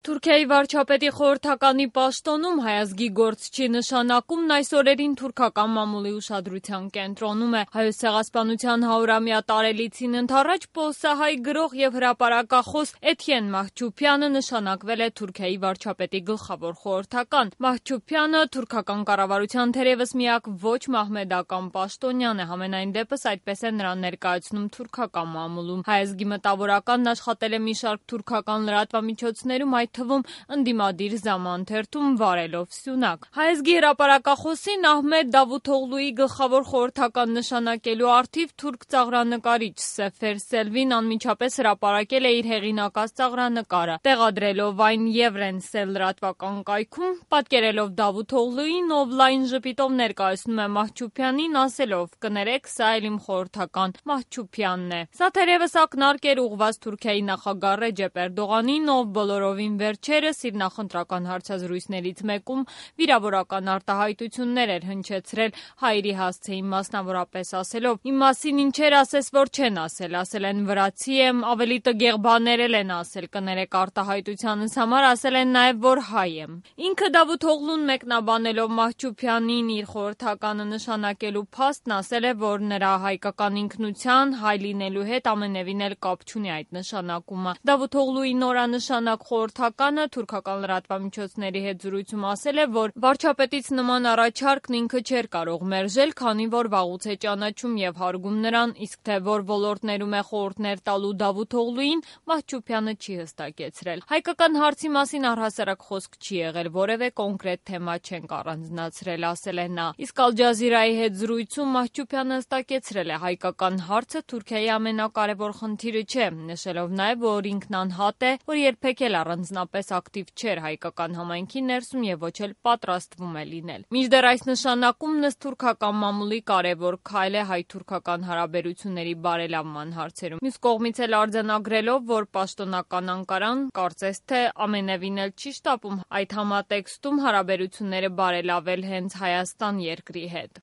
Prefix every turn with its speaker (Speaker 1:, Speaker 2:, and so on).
Speaker 1: Թուրքիայի վարչապետի խորհրդականի պաշտոնում հայազգի գործչի նշանակումն այս օրերին թուրքական մամուլի ուշադրության կենտրոնում է։ Հայոց ցեղասպանության 100-ամյա տարելիցին ընդառաջ պոլսահայ գրող եւ հրապարակախոս Էթյեն Մահչուփյանը նշանակվել է Թուրքիայի վարչապետի գլխավոր խորհրդական։ Մահչուփյանը թուրքական կառավարության թերևս միակ ոչ մահմեդական պաշտոնյան է, համենայն դեպս այդպես է նրան ներկայացնում թուրքական մամուլում։ Հայազգի մտավորականն աշխատել է մի շարք թուրքական լրատվամիջոցներում, այդ թվում ընդդիմադիր Զաման վարելով սյունակ։ Հայազգի հրապարակախոսին Ահմեդ Դավութօղլուի գլխավոր խորհրդական նշանակելու առթիվ թուրք ծաղրանկարիչ Սեֆեր Սելվին անմիջապես հրապարակել է իր հեղինակած ծաղրանկարը, տեղադրելով այն Եվրենսել լրատվական կայքում, պատկերելով Դավութօղլուին, ով լայն ժպիտով ներկայացնում է Մահչուփյանին, ասելով. «Կներեք, սա էլ իմ խորհրդական Մահչուփյանն է»։ Սա թերևս ակնարկ էր ուղղված Թուրքիայի նախագահ Ռեջեփ Էրդողանին, ով բոլորովին վերջերս իր նախընտրական հարցազրույցներից մեկում վիրավորական արտահայտություններ էր հնչեցրել հայերի հասցեին, մասնավորապես ասելով. «Իմ մասին ինչեր ասես, որ չեն ասել են վրացի եմ, ավելի տգեղ բաներ էլ են ասել, կներեք արտահայտությանս համար, ասել են նաև, որ հայ եմ»։ Ինքը Դավութօղլուն մեկնաբանելով Մահչուփյանին իր խորհրդականը նշանակելու փաստն ասել է, որ նրա հայկական ինքնության, հայ լինելու հետ ամենևին էլ կապ չունի այդ նշանակումը։ Դավութօղլուի նորանշանակ խորհրդականը թուրքական լրատվամիջոցների հետ զրույցում ասել է, որ վարչապետից նման առաջարկն ինքը չէր կարող մերժել, քանի որ վաղուց է ճանաչում եւ հարգում նրան, իսկ թե որ ոլորտներում է խորհուրդներ տալու Դավութօղլուին, Մահչուփյանը չի հստակեցրել։ Հայկական հարցի մասին առհասարակ խոսք չի եղել, որևէ կոնկրետ թեմա չենք առանձնացրել, ասել է նա։ Իսկ Ալ Ջազիրայի հետ զրույցում Մահչուփյանը հստակեցրել է, հայկական հարցը Թուրքիայի ամենակարևոր խնդիրը չէ, նշելով նաև, որ ինքն անհատ է, որ երբեք էլ առանձնապես ակտիվ չէր հայկական համայնքի ներսում եւ ոչ էլ պատրաստվում է լինել։ Մինչդեռ այս նշանակումն ըստ թուրքական մամուլի կարևոր քայլ է հայ-թուրքական հարաբերությունների բարելավման հարցերում։ Մյուս կողմից էլ արձանագրելով, որ պաշտոնական Անկարան կարծես թե ամենևին էլ չի շտապում այդ համատեքստում հարաբերությունները բարելավել հենց Հայաստան երկրի հետ։